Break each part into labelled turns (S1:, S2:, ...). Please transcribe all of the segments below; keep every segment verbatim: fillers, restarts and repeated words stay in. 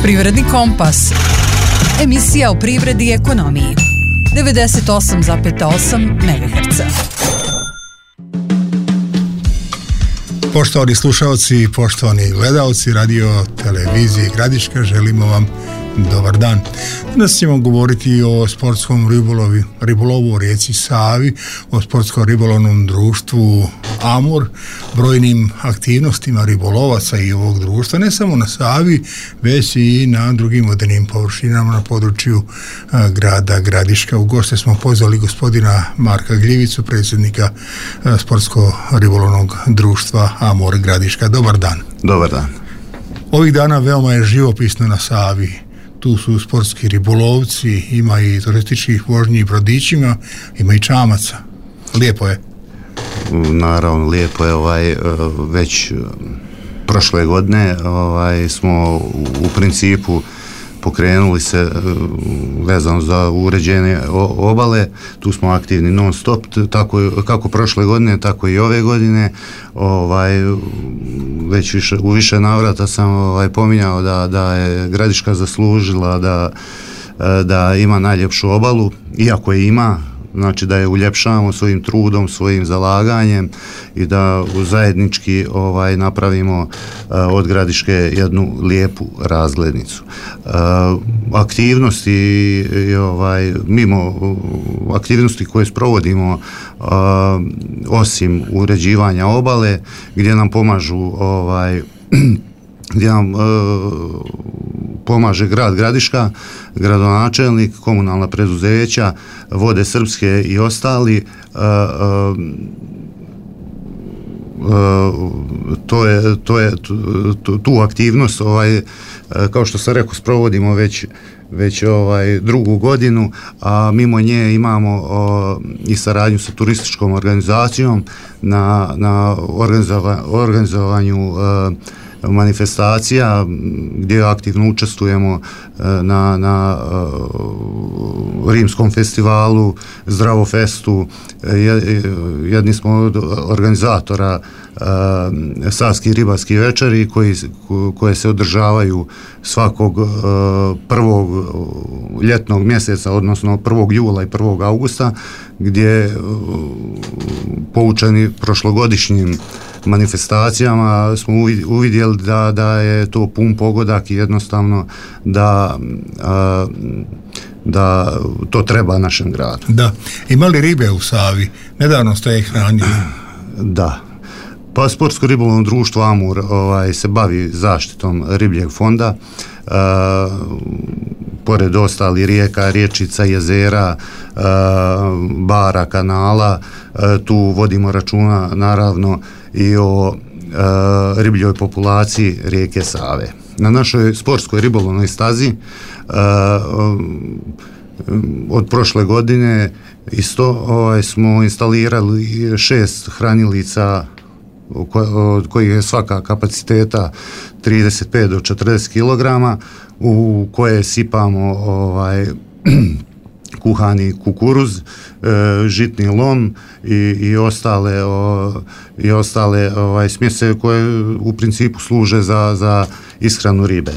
S1: Privredni kompas. Emisija o privredi i ekonomiji. devedeset osam zarez osam megaherca.
S2: Poštovani slušalci i poštovani gledalci radio televizije Gradiška, želimo vam dobar dan. Danas ćemo govoriti o sportskom ribolovi, ribolovu u rijeci Savi, o sportskom ribolovnom društvu Amur, brojnim aktivnostima ribolovaca i ovog društva, ne samo na Savi, već i na drugim vodenim površinama na području a, grada Gradiška. U goste smo pozvali gospodina Marka Gljivicu, predsjednika a, sportsko-ribolovnog društva Amur Gradiška. Dobar dan.
S3: Dobar dan.
S2: Ovih dana veoma je živopisno na Savi. Tu su sportski ribolovci, ima i turističkih vožnji i brodićima, ima i čamaca. Lijepo je.
S3: Naravno, lijepo je. Ovaj, već prošle godine ovaj, smo u principu pokrenuli se vezano za uređenje obale. Tu smo aktivni non stop, tako, kako prošle godine, tako i ove godine. Ovaj, već više, u više navrata sam ovaj, pominjao da, da je Gradiška zaslužila da, da ima najljepšu obalu, iako je ima, znači da je uljepšavamo svojim trudom, svojim zalaganjem i da zajednički ovaj, napravimo uh, od Gradiške jednu lijepu razglednicu. Uh, aktivnosti i, ovaj, mimo uh, aktivnosti koje sprovodimo uh, osim uređivanja obale, gdje nam pomažu ovaj, gdje nam uh, pomaže grad Gradiška, gradonačelnik, komunalna preduzeća, Vode Srpske i ostali. Uh, uh, uh, to je, to je tu, tu aktivnost, ovaj, uh, kao što sam rekao, sprovodimo već već ovaj drugu godinu, a mimo nje imamo o, i saradnju sa turističkom organizacijom na, na organizova, organizovanju uh, manifestacija gdje aktivno učestvujemo na, na uh, Rimskom festivalu, Zdravofestu. Jedni smo od organizatora uh, Savskih ribarskih večeri koji, koje se održavaju svakog uh, prvog ljetnog mjeseca, odnosno prvog jula i prvog augusta, gdje uh, poučeni prošlogodišnjim manifestacijama smo uvidjeli da, da je to pun pogodak i jednostavno da, a, da to treba našem gradu.
S2: Da. Ima li ribe u Savi? Nedavno ste ih hranili.
S3: Da. Pa sportsko ribolovno društvo Amur ovaj, se bavi zaštitom ribljeg fonda. A, pored ostali rijeka, rječica, jezera, a, bara, kanala, a, tu vodimo računa naravno i o a, ribljoj populaciji rijeke Save. Na našoj sportskoj ribolovnoj stazi a, od prošle godine isto ovaj, smo instalirali šest hranilica od kojih je svaka kapaciteta trideset pet do četrdeset kilograma, u koje sipamo ovaj kuhani kukuruz, e, žitni lom i, i ostale o, i ostale ovaj smjese koje u principu služe za, za ishranu ribe.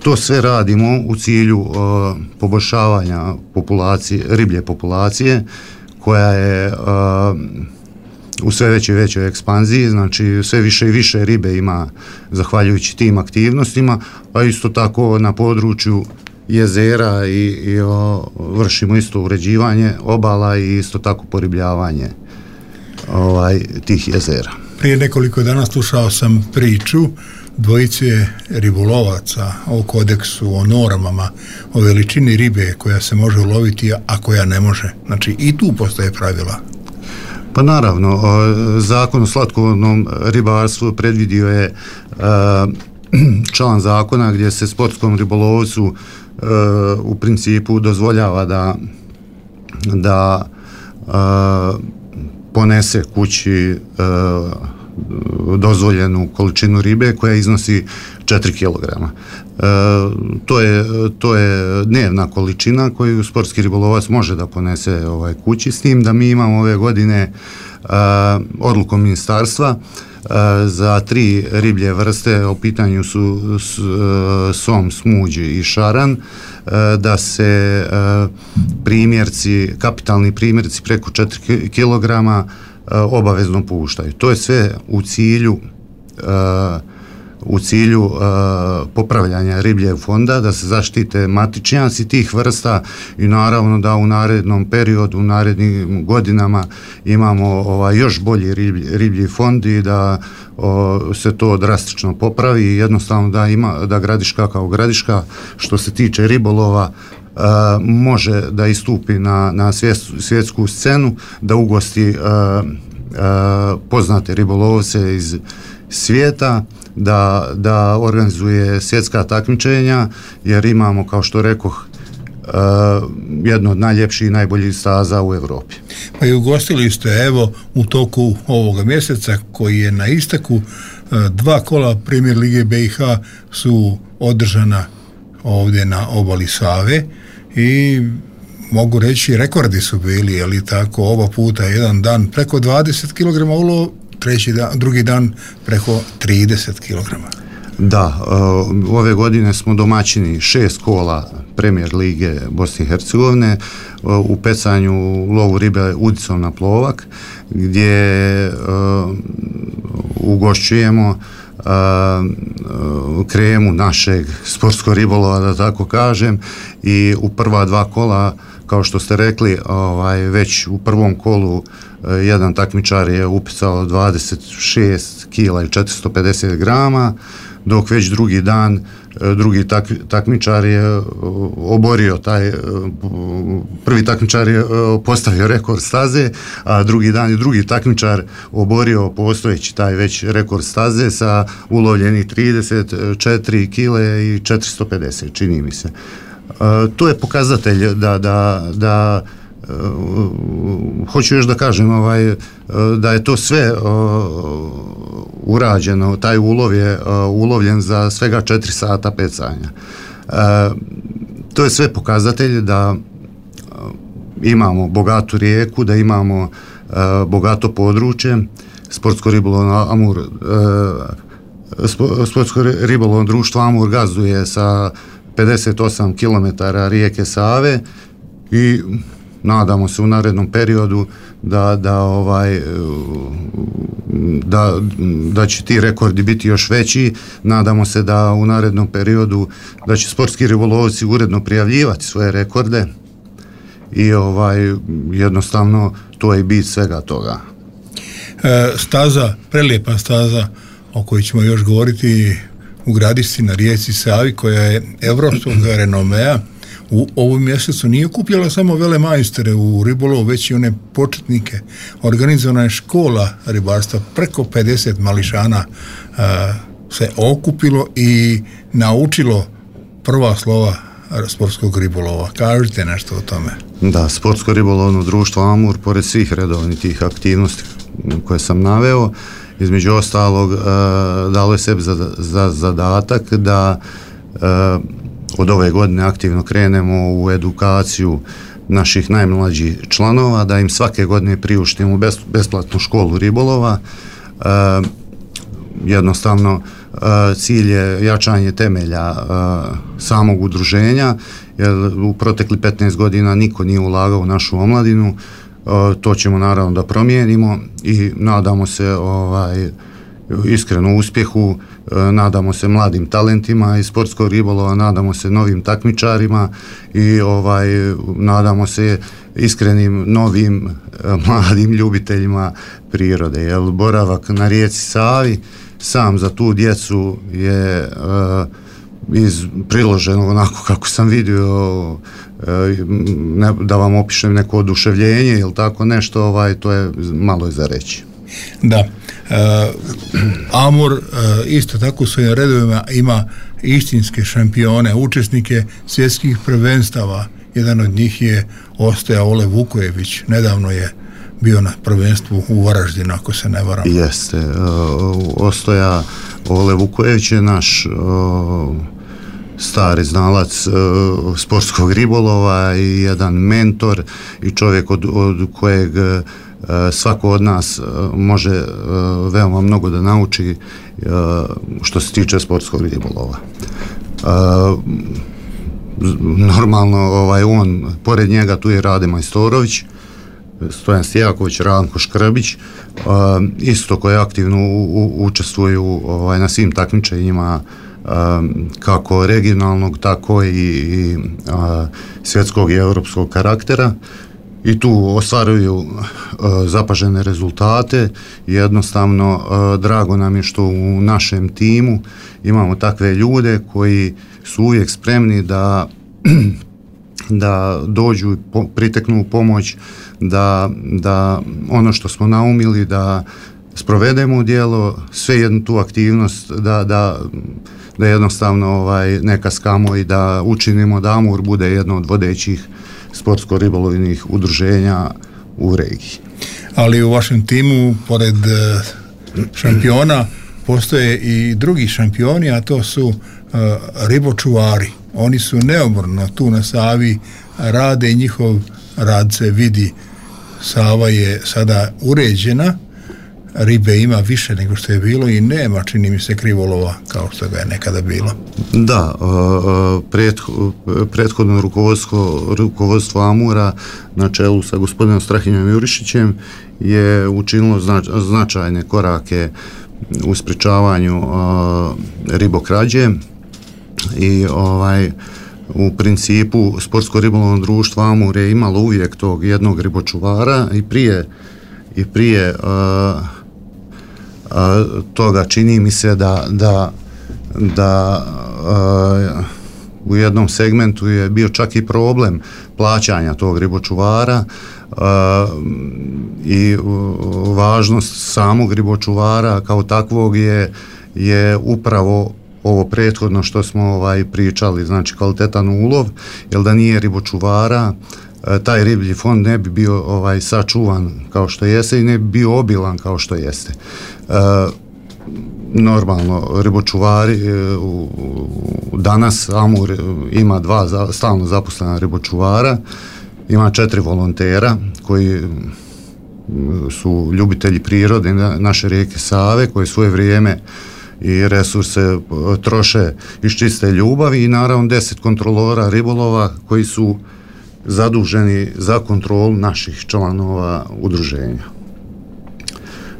S3: To sve radimo u cilju o, poboljšavanja populacije, riblje populacije koja je o, u sve većoj većoj ekspanziji, znači sve više i više ribe ima zahvaljujući tim aktivnostima, a isto tako na području jezera i, i o, vršimo isto uređivanje obala i isto tako poribljavanje ovaj, tih jezera.
S2: Prije nekoliko dana slušao sam priču dvojice ribolovaca o kodeksu, o normama, o veličini ribe koja se može uloviti, a koja ne može. Znači i tu postoje pravila.
S3: Pa naravno, Zakon o slatkovodnom ribarstvu predvidio je član zakona gdje se sportskom ribolovcu u principu dozvoljava da da ponese kući dozvoljenu količinu ribe koja iznosi četiri kilograma. E, to je, to je dnevna količina koju sportski ribolovac može da ponese ovaj, kući, s tim da mi imamo ove godine e, odlukom ministarstva za tri riblje vrste, u pitanju su som, smuđ i šaran, da se primjerci, kapitalni primjerci preko četiri kilograma obavezno puštaju. To je sve u cilju u cilju uh, popravljanja ribljeg fonda, da se zaštite matičnjaci tih vrsta i naravno da u narednom periodu, u narednim godinama imamo ovaj, još bolji riblji, riblji fond i da o, se to drastično popravi i jednostavno da ima, da Gradiška kao Gradiška što se tiče ribolova Uh, može da istupi na, na svjetsku scenu, da ugosti uh, uh, poznate ribolovce iz svijeta, da, da organizuje svjetska takmičenja, jer imamo, kao što rekoh, uh, jedno od najljepših i najboljih staza u Europi.
S2: Pa i ugostili ste, evo, u toku ovoga mjeseca koji je na isteku, uh, dva kola Premier Lige B i H su održana ovdje na obali Save i mogu reći rekordi su bili, je li tako, oba puta jedan dan preko dvadeset kilograma ulova, treći dan, drugi dan preko trideset kilograma.
S3: Da, uh, ove godine smo domaćini šest kola Premier Lige Bosne i Hercegovine uh, u pecanju lovu ribe udicom na plovak, gdje uh, ugošćujemo Uh, uh, kremu našeg sportskog ribolova, da tako kažem, i u prva dva kola, kao što ste rekli, ovaj, već u prvom kolu uh, jedan takmičar je upecao dvadeset šest kila i četiristo pedeset grama, dok već drugi dan drugi tak, takmičar je oborio taj, prvi takmičar je postavio rekord staze, a drugi dan je drugi takmičar oborio postojeći taj već rekord staze sa ulovljenih trideset četiri kile i četiristo pedeset, čini mi se. To je pokazatelj da, da, da Uh, hoću još da kažem ovaj, uh, da je to sve uh, urađeno, taj ulov je uh, ulovljen za svega četiri sata pecanja. Uh, to je sve pokazatelj da uh, imamo bogatu rijeku, da imamo uh, bogato područje. Sportsko ribolovno Amur uh, Sportsko ribolovno društvo Amur gazduje sa pedeset osam kilometara rijeke Save i nadamo se u narednom periodu da, da, ovaj, da, da će ti rekordi biti još veći. Nadamo se da u narednom periodu da će sportski ribolovci uredno prijavljivati svoje rekorde i ovaj, jednostavno to je bit svega toga.
S2: E, staza, prelijepa staza o kojoj ćemo još govoriti u Gradišci na rijeci Savi, koja je evropskog renomea, u ovom mjesecu nije okupljala samo velemajstore u ribolovu, već i one početnike. Organizovana je škola ribarstva, preko pedeset mališana a, se okupilo i naučilo prva slova sportskog ribolova. Kažite nešto o tome.
S3: Da, Sportsko ribolovno društvo Amur, pored svih redovnih aktivnosti koje sam naveo, između ostalog a, dalo je sebi za, za zadatak da a, od ove godine aktivno krenemo u edukaciju naših najmlađih članova, da im svake godine priuštimo besplatnu školu ribolova. E, jednostavno e, cilj je jačanje temelja e, samog udruženja, jer u protekli petnaest godina niko nije ulagao u našu omladinu. E, to ćemo naravno da promijenimo i nadamo se ovaj iskreno uspjehu, nadamo se mladim talentima iz sportskog ribolova, nadamo se novim takmičarima i ovaj nadamo se iskrenim novim mladim ljubiteljima prirode, jer boravak na rijeci Savi sam za tu djecu je uh, iz priloženog onako kako sam vidio, uh, ne, da vam opišem neko oduševljenje ili tako nešto, ovaj, to je malo je za reći.
S2: Da. Uh, Amur uh, isto tako u svojim redovima ima istinske šampione, učesnike svjetskih prvenstava. Jedan od njih je Ostoja Ole Vukojević, nedavno je bio na prvenstvu u Varaždinu, ako se ne varam.
S3: Jeste, uh, Ostoja Ole Vukojević je naš uh, stari znalac uh, sportskog ribolova i jedan mentor i čovjek od, od kojeg uh, svako od nas može veoma mnogo da nauči što se tiče sportskog ribolova. Normalno ovaj, on, pored njega tu je Rade Majstorović, Stojan Stijaković, Ranko Škrbić, isto koji aktivno u, u, učestvuju ovaj, na svim takmičenjima kako regionalnog, tako i, i a, svjetskog i europskog karaktera, i tu ostvaruju a, zapažene rezultate. Jednostavno a, drago nam je što u našem timu imamo takve ljude koji su uvijek spremni da da dođu, po, priteknu u pomoć, da, da ono što smo naumili da sprovedemo u djelo, sve jednu tu aktivnost da, da, da jednostavno ovaj, ne kaskamo i da učinimo da Amur bude jedno od vodećih sportsko-ribolovnih udruženja u regiji.
S2: Ali u vašem timu, pored šampiona, postoje i drugi šampioni, a to su uh, ribočuvari. Oni su neumorno tu na Savi, rade i njihov rad se vidi. Sava je sada uređena, ribe ima više nego što je bilo i nema, čini mi se, krivolova kao što ga je nekada bilo.
S3: Da, prethodno rukovodstvo, rukovodstvo Amura na čelu sa gospodinom Strahinjom Jurišićem je učinilo znač, značajne korake u sprečavanju ribokrađe i ovaj u principu sportsko-ribolovno društvo Amur je imalo uvijek tog jednog ribočuvara i prije i prije uh, uh, toga čini mi se da da, da uh, u jednom segmentu je bio čak i problem plaćanja tog ribočuvara uh, i uh, važnost samog ribočuvara kao takvog je, je upravo ovo prethodno što smo ovaj pričali, znači kvalitetan ulov, jer da nije ribočuvara taj riblji fond ne bi bio ovaj sačuvan kao što jeste i ne bi bio obilan kao što jeste. E, normalno ribočuvari e, u, u, danas Amur ima dva za, stalno zaposlena ribočuvara, ima četiri volontera koji su ljubitelji prirode na, naše rijeke Save, koji svoje vrijeme i resurse troše iz čiste ljubavi i naravno deset kontrolora ribolova koji su zaduženi za kontrolu naših članova udruženja.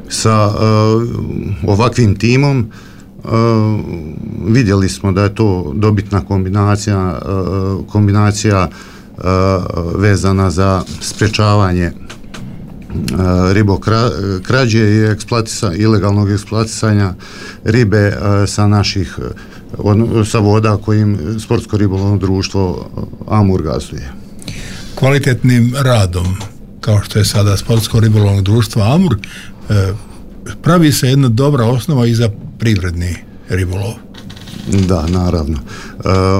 S3: Sa uh, ovakvim timom uh, vidjeli smo da je to dobitna kombinacija, uh, kombinacija uh, vezana za sprječavanje uh, ribokrađe i eksploatisa, ilegalnog eksploatisanja ribe uh, sa naših uh, sa voda kojim sportsko-ribolovno društvo Amur gazduje.
S2: Kvalitetnim radom, kao što je sada sportsko-ribolovno društvo Amur, pravi se jedna dobra osnova i za privredni ribolov.
S3: Da, naravno.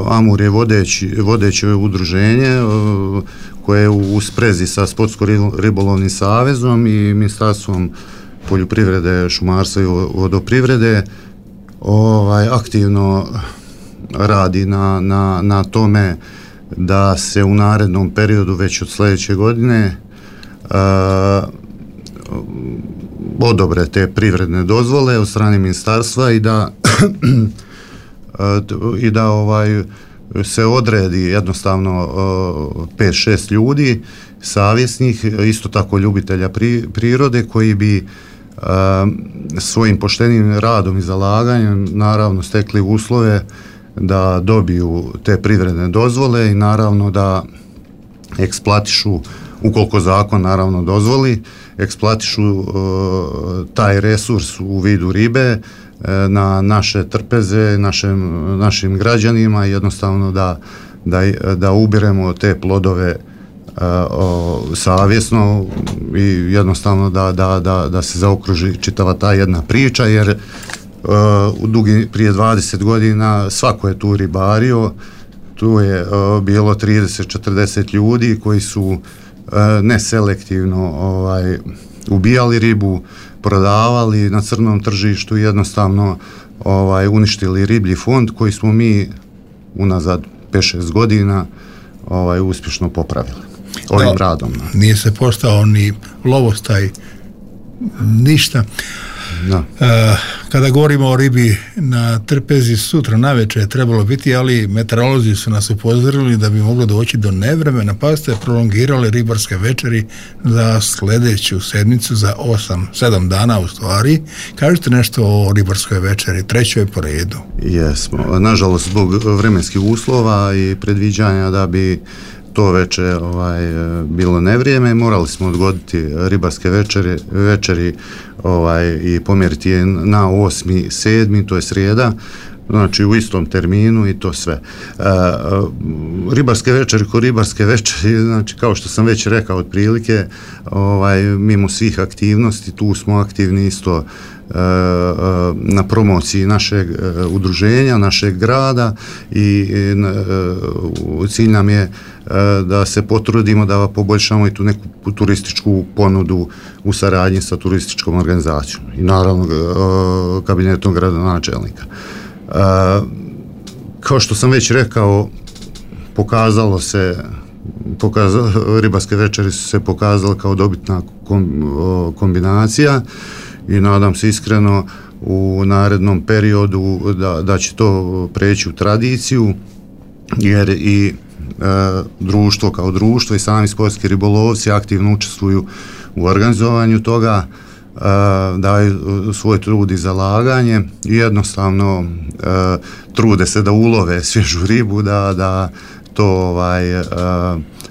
S3: Amur je vodeći, vodeće udruženje koje je u sprezi sa Sportsko-ribolovnim savezom i Ministarstvom poljoprivrede, šumarstva i vodoprivrede ovaj, aktivno radi na, na, na tome da se u narednom periodu već od sljedeće godine uh, odobre te privredne dozvole od strane ministarstva i da uh, i da ovaj se odredi jednostavno uh, pet šest ljudi savjesnih, isto tako ljubitelja pri, prirode koji bi uh, svojim poštenim radom i zalaganjem naravno stekli uslove da dobiju te privredne dozvole i naravno da eksploatišu, ukoliko zakon naravno dozvoli, eksploatišu uh, taj resurs u vidu ribe uh, na naše trpeze, našem, našim građanima, jednostavno da, da, da ubiremo te plodove uh, o, savjesno i jednostavno da, da, da, da se zaokruži čitava ta jedna priča, jer Uh, u dugi, prije dvadeset godina svako je tu ribario, tu je uh, bilo trideset četrdeset ljudi koji su uh, neselektivno ovaj, ubijali ribu, prodavali na crnom tržištu, jednostavno ovaj, uništili riblji fond koji smo mi unazad pet šest godina ovaj, uspješno popravili. ovim
S2: da,
S3: radom.
S2: Nije se postao ni lovostaj, ništa.
S3: Da.
S2: E, kada govorimo o ribi na trpezi, sutra navečer je trebalo biti, ali meteorolozi su nas upozorili da bi moglo doći do nevremena, pa ste prolongirali ribarske večeri za sljedeću sedmicu, za osam, sedam dana u stvari. Kažete nešto o ribarskoj večeri, trećoj po redu.
S3: Jesmo. Nažalost, zbog vremenskih uslova i predviđanja da bi to veče ovaj, bilo nevrijeme, morali smo odgoditi ribarske večeri, večeri ovaj, i pomjeriti je na osmi sedmi, to je srijeda, znači u istom terminu i to sve. E, ribarske večeri ko ribarske večeri, znači kao što sam već rekao otprilike, ovaj, mimo svih aktivnosti, tu smo aktivni isto na promociji našeg udruženja, našeg grada i cilj nam je da se potrudimo da poboljšamo i tu neku turističku ponudu u saradnji sa turističkom organizacijom i naravno kabinetom gradonačelnika. Kao što sam već rekao, pokazalo se pokazalo, ribarske večeri su se pokazale kao dobitna kombinacija i nadam se iskreno u narednom periodu da, da će to preći u tradiciju, jer i e, društvo kao društvo i sami sportski ribolovci aktivno učestvuju u organizovanju toga, e, daju svoj trud i zalaganje i jednostavno e, trude se da ulove svježu ribu, da, da to ovaj, e,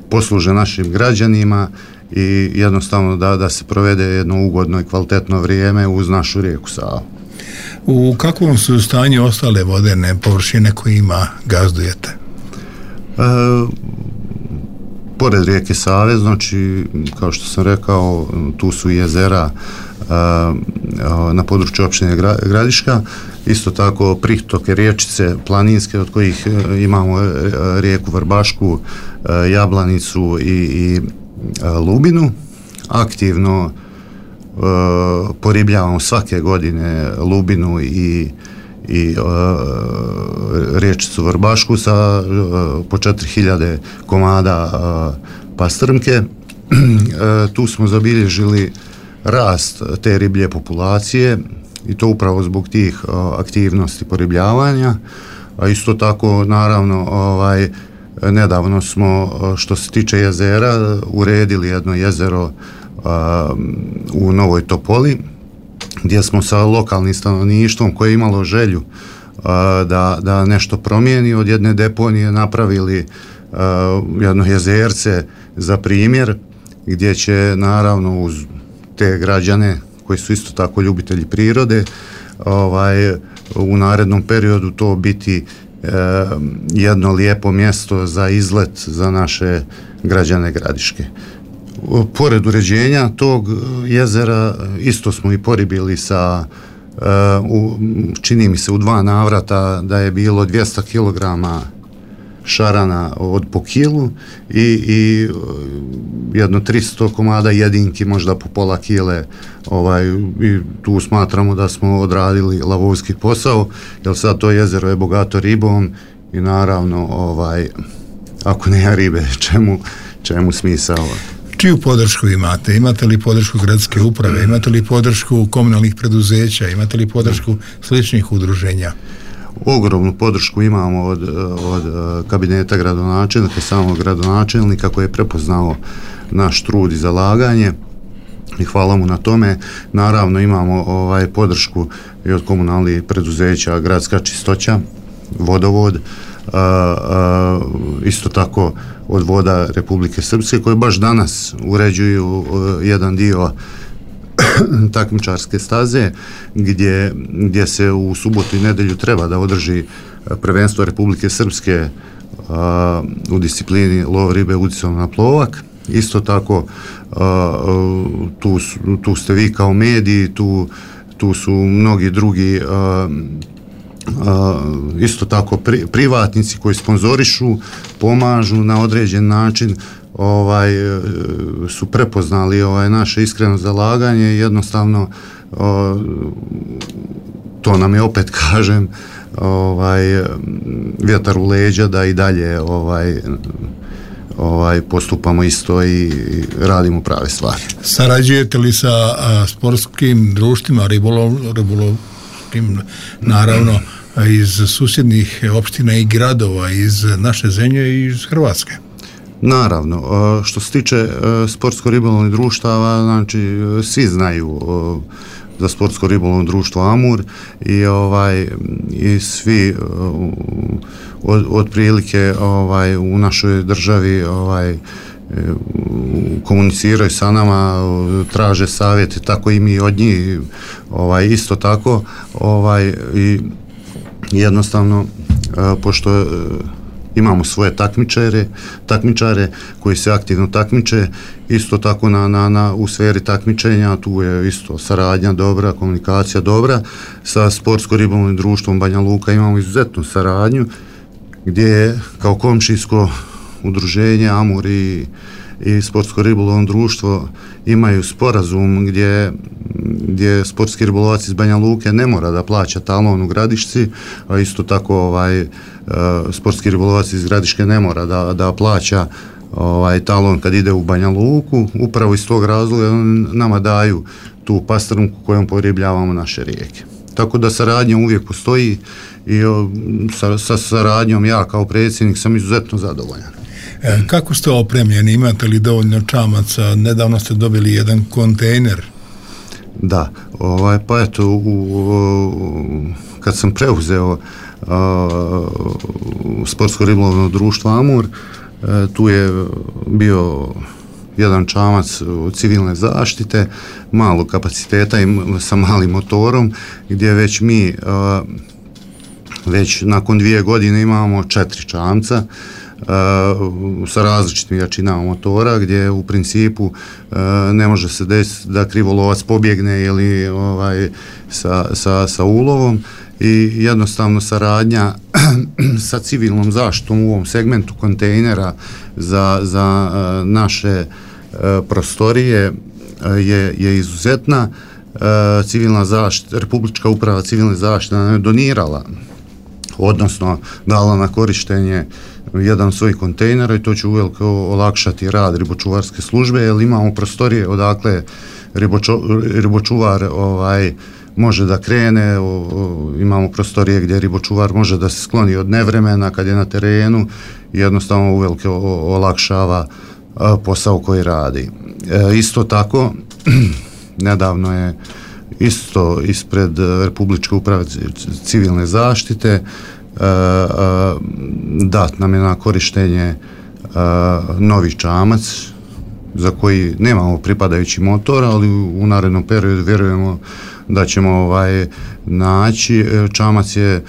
S3: posluže našim građanima i jednostavno da, da se provede jedno ugodno i kvalitetno vrijeme uz našu rijeku Savu.
S2: U kakvom su stanju ostale vodene površine kojima gazdujete?
S3: E, pored rijeke Save, znači, kao što sam rekao, tu su jezera e, na području općine Gradiška, isto tako pritoke riječice planinske, od kojih imamo rijeku Vrbašku, Jablanicu i, i Lubinu. Aktivno e, poribljavamo svake godine Lubinu i, i e, riječicu Vrbašku sa e, po četiri hiljade komada e, pastrmke. E, tu smo zabilježili rast te riblje populacije i to upravo zbog tih e, aktivnosti poribljavanja, a isto tako naravno ovaj nedavno smo, što se tiče jezera, uredili jedno jezero a, u Novoj Topoli, gdje smo sa lokalnim stanovništvom koje je imalo želju a, da, da nešto promijeni, od jedne deponije napravili a, jedno jezerce za primjer, gdje će naravno uz te građane koji su isto tako ljubitelji prirode, ovaj, u narednom periodu to biti jedno lijepo mjesto za izlet za naše građane Gradiške. Pored uređenja tog jezera isto smo i poribili sa, u, čini mi se u dva navrata da je bilo dvjesto kilograma šarana od po kilu i, i jedno tristo komada jedinki, možda po pola kile, ovaj, i tu smatramo da smo odradili lavovski posao, jer sad to jezero je bogato ribom i naravno ovaj, ako nema ribe, čemu, čemu smisao?
S2: Čiju podršku imate? Imate li podršku gradske uprave? Imate li podršku komunalnih preduzeća? Imate li podršku sličnih udruženja?
S3: Ogromnu podršku imamo od, od kabineta gradonačelnika, samog gradonačelnika koji je prepoznao naš trud i zalaganje i hvala mu na tome. Naravno imamo ovaj podršku i od komunalnih preduzeća, Gradska čistoća, Vodovod, a, a, isto tako od Voda Republike Srpske koje baš danas uređuju a, jedan dio takmičarske staze gdje, gdje se u subotu i nedjelju treba da održi prvenstvo Republike Srpske a, u disciplini lov ribe udicom na plovak. Isto tako a, tu, tu ste vi kao mediji, tu, tu su mnogi drugi a, a, isto tako pri, privatnici koji sponzorišu, pomažu na određen način, ovaj su prepoznali ovaj naše iskreno zalaganje i jednostavno o, to nam je, opet kažem, ovaj vjetar u leđa da i dalje ovaj ovaj, postupamo isto i radimo prave stvari.
S2: Sarađujete li sa a, sportskim društvima, ribolov, ribolovskim, naravno, iz susjednih opština i gradova, iz naše zemlje i iz Hrvatske?
S3: Naravno, što se tiče sportsko-ribolovnih društava, znači svi znaju za sportsko-ribolovno društvo Amur i ovaj i svi od, otprilike ovaj u našoj državi ovaj komuniciraju sa nama, traže savjete, tako i mi od njih, ovaj isto tako, ovaj i jednostavno pošto imamo svoje takmičare, takmičare koji se aktivno takmiče, isto tako na, na, na, u sferi takmičenja, tu je isto saradnja dobra, komunikacija dobra, sa sportsko-ribolovnim društvom Banja Luka imamo izuzetnu saradnju, gdje je kao komšijsko udruženje Amur i, i sportsko-ribolovno društvo imaju sporazum gdje, gdje sportski ribolovac iz Banja Luke ne mora da plaća talon u Gradišci, a isto tako ovaj sportski ribolovac iz Gradiške ne mora da, da plaća ovaj talon kad ide u Banja Luku, upravo iz tog razloga nama daju tu pastrnku kojom poribljavamo naše rijeke. Tako da saradnja uvijek postoji i o, sa, sa saradnjom ja kao predsjednik sam izuzetno zadovoljan.
S2: E, kako ste opremljeni? Imate li dovoljno čamaca? Nedavno ste dobili jedan kontejner.
S3: Da, ovaj, pa eto, u, u, kad sam preuzeo sportsko-ribolovno društvo Amur, tu je bio jedan čamac civilne zaštite, malog kapaciteta i sa malim motorom, gdje već mi već nakon dvije godine imamo četiri čamca sa različitim jačinama motora, gdje u principu ne može se desiti da krivolovac pobjegne ili ovaj, sa, sa, sa ulovom, i jednostavno saradnja sa civilnom zaštitom u ovom segmentu kontejnera za, za uh, naše uh, prostorije uh, je, je izuzetna. Uh, civilna zaštita, Republička uprava civilne zaštite nam je donirala, odnosno dala na korištenje jedan od svojih kontejnera i to će uveliko olakšati rad ribočuvarske službe, jer imamo prostorije odakle riboču, ribočuvar ovaj, može da krene, o, o, imamo prostorije gdje ribočuvar može da se skloni od nevremena kad je na terenu i jednostavno uvelike o, o, olakšava a, posao koji radi. E, isto tako, nedavno je isto ispred Republičke uprave civilne zaštite a, a, dat nam je na korištenje a, novi čamac za koji nemamo pripadajući motor, ali u narednom periodu vjerujemo da ćemo ovaj naći. Čamac je e,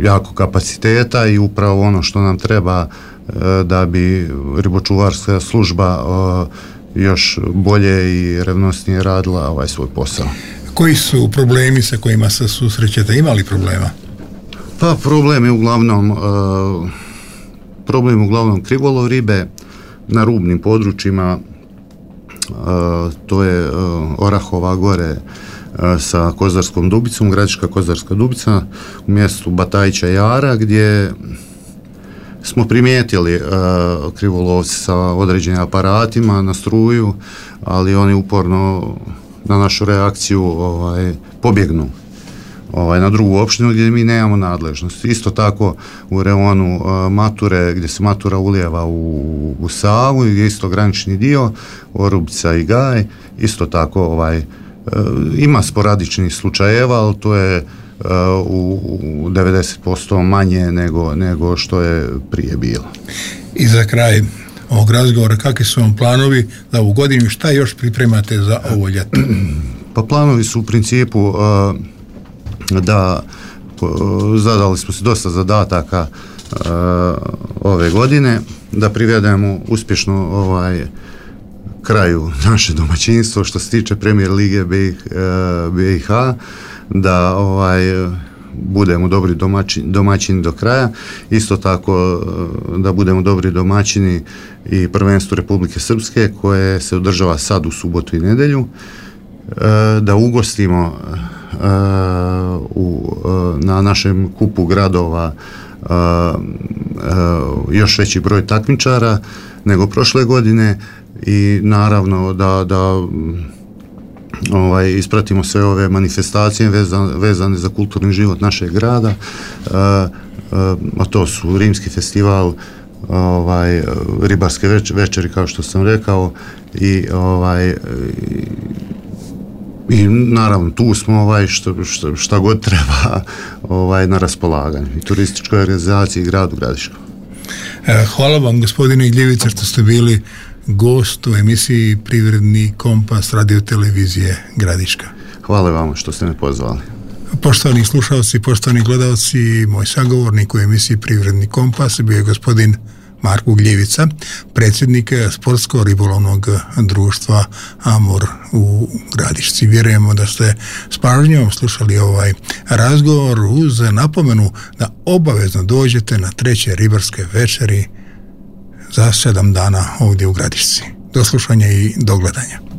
S3: jako kapaciteta i upravo ono što nam treba e, da bi ribočuvarska služba e, još bolje i revnosnije radila ovaj svoj posao.
S2: Koji su problemi sa kojima se susrećete? Ima li problema?
S3: Pa problem je uglavnom e, problem je uglavnom krivolov ribe na rubnim područjima. Uh, to je uh, Orahova gore uh, sa Kozarskom Dubicom, Gradiška Kozarska Dubica u mjestu Batajića Jara, gdje smo primijetili uh, krivolovci sa određenim aparatima na struju, ali oni uporno na našu reakciju ovaj, pobjegnu ovaj, na drugu opštinu gdje mi nemamo nadležnost. Isto tako u reonu uh, Mature, gdje se Matura ulijeva u, u Savu, gdje je isto granični dio, Orubica i Gaj, isto tako ovaj, uh, ima sporadičnih slučajeva, ali to je uh, u, u devedeset posto manje nego, nego što je prije bilo.
S2: I za kraj ovog razgovora, kakvi su vam planovi za ovu godinu, šta još pripremate za ovo ljeto?
S3: Pa planovi su u principu uh, da zadali smo se dosta zadataka uh, ove godine, da privedemo uspješno ovaj kraju naše domaćinstvo što se tiče Premier lige B i H, da ovaj budemo dobri domaćini, domaćini do kraja, isto tako da budemo dobri domaćini i prvenstvu Republike Srpske koje se održava sad u subotu i nedjelju, uh, da ugostimo Uh, u, uh, na našem kupu gradova uh, još veći broj takmičara nego prošle godine i naravno da, da ovaj, ispratimo sve ove manifestacije vezane, vezane za kulturni život našeg grada, a to su Rimski festival, ovaj, ribarske več, večeri kao što sam rekao i ovaj i, i naravno tu smo ovaj što, što, šta god treba ovaj na raspolaganju i turističkoj organizaciji i gradu Gradiškom.
S2: Hvala vam gospodine Gljevica što ste bili gost u emisiji Privredni kompas radiotelevizije Gradiška.
S3: Hvala vam što ste me pozvali.
S2: Poštovani slušalci, poštovani gledalci, moj sagovornik u emisiji Privredni kompas bio je gospodin Marko Gljevica, predsjednik sportsko-ribolovnog društva Amor u Gradišci. Vjerujemo da ste s pažnjom slušali ovaj razgovor uz napomenu da obavezno dođete na treće ribarske večeri za sedam dana ovdje u Gradišci. Do slušanja i do gledanja.